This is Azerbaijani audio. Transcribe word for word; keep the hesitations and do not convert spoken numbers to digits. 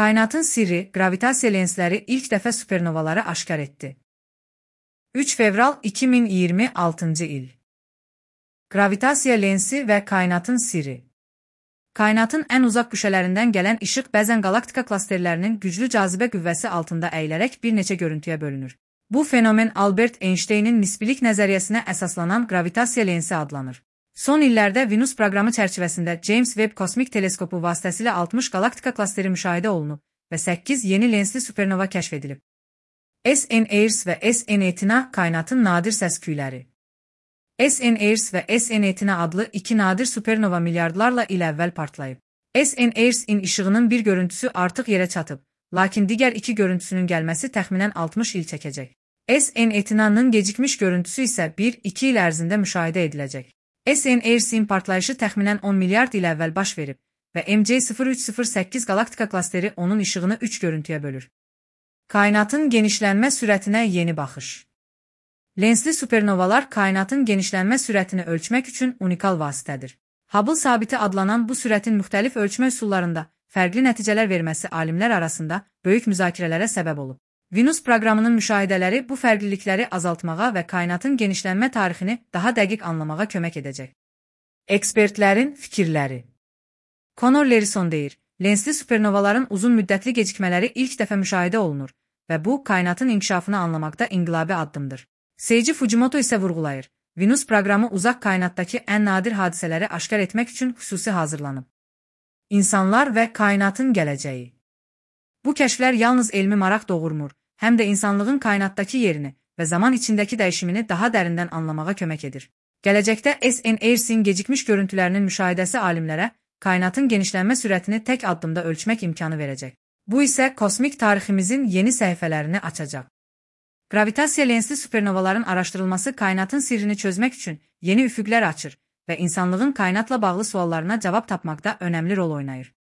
Kainatın sirri, gravitasiya lensləri ilk dəfə supernovaları aşkar etdi. üç fevral iki min iyirmi altıncı il. Gravitasiya lensi və kainatın sirri. Kainatın ən uzaq güşələrindən gələn işıq bəzən galaktika klasterlərinin güclü cazibə qüvvəsi altında əyilərək bir neçə görüntüyə bölünür. Bu fenomen Albert Einsteynin nisbilik nəzəriyyəsinə əsaslanan gravitasiya lensi adlanır. Son illərdə Venüs proqramı çərçivəsində James Webb kosmik teleskopu vasitəsilə altmış galaktika klasteri müşahidə olunub və səkkiz yeni lensli supernova kəşf edilib. S N Eris və S N Etina kainatın nadir səs-küyləri. S N Eris və S N Etina adlı iki nadir supernova milyardlarla il əvvəl partlayıb. S N Eris-in işığının bir görüntüsü artıq yerə çatıb, lakin digər iki görüntüsünün gəlməsi təxminən altmış il çəkəcək. S N Etina'nın gecikmiş görüntüsü isə bir iki il ərzində müşahidə ediləcək. S N Eris-in partlayışı təxminən on milyard il əvvəl baş verib və M C sıfır üç sıfır səkkiz galaktika klasteri onun işığını üç görüntüyə bölür. Kainatın genişlənmə sürətinə yeni baxış. Lensli supernovalar kainatın genişlənmə sürətini ölçmək üçün unikal vasitədir. Hubble sabiti adlanan bu sürətin müxtəlif ölçmə üsullarında fərqli nəticələr verməsi alimlər arasında böyük müzakirələrə səbəb olub. Venüs proqramının müşahidələri bu fərqlilikləri azaltmağa və kainatın genişlənmə tarixini daha dəqiq anlamağa kömək edəcək. Ekspertlərin fikirləri. Conor Lerison deyir, lensli supernovaların uzun müddətli gecikmələri ilk dəfə müşahidə olunur və bu, kainatın inkişafını anlamaqda inqilabi addımdır. Seiji Fujimoto isə vurğulayır, Venüs proqramı uzaq kainatdakı ən nadir hadisələri aşkar etmək üçün xüsusi hazırlanıb. İnsanlar və kainatın gələcəyi. Bu kəşflər yalnız elmi maraq doğurmur, həm də insanlığın kainatdakı yerini və zaman içindəki dəyişimini daha dərindən anlamağa kömək edir. Gələcəkdə S N Eris-in gecikmiş görüntülərinin müşahidəsi alimlərə kainatın genişlənmə sürətini tək addımda ölçmək imkanı verəcək. Bu isə kosmik tariximizin yeni səhifələrini açacaq. Gravitasiya lensli supernovaların araşdırılması kainatın sirrini çözmək üçün yeni üfüqlər açır və insanlığın kainatla bağlı suallarına cavab tapmaqda önəmli rol oynayır.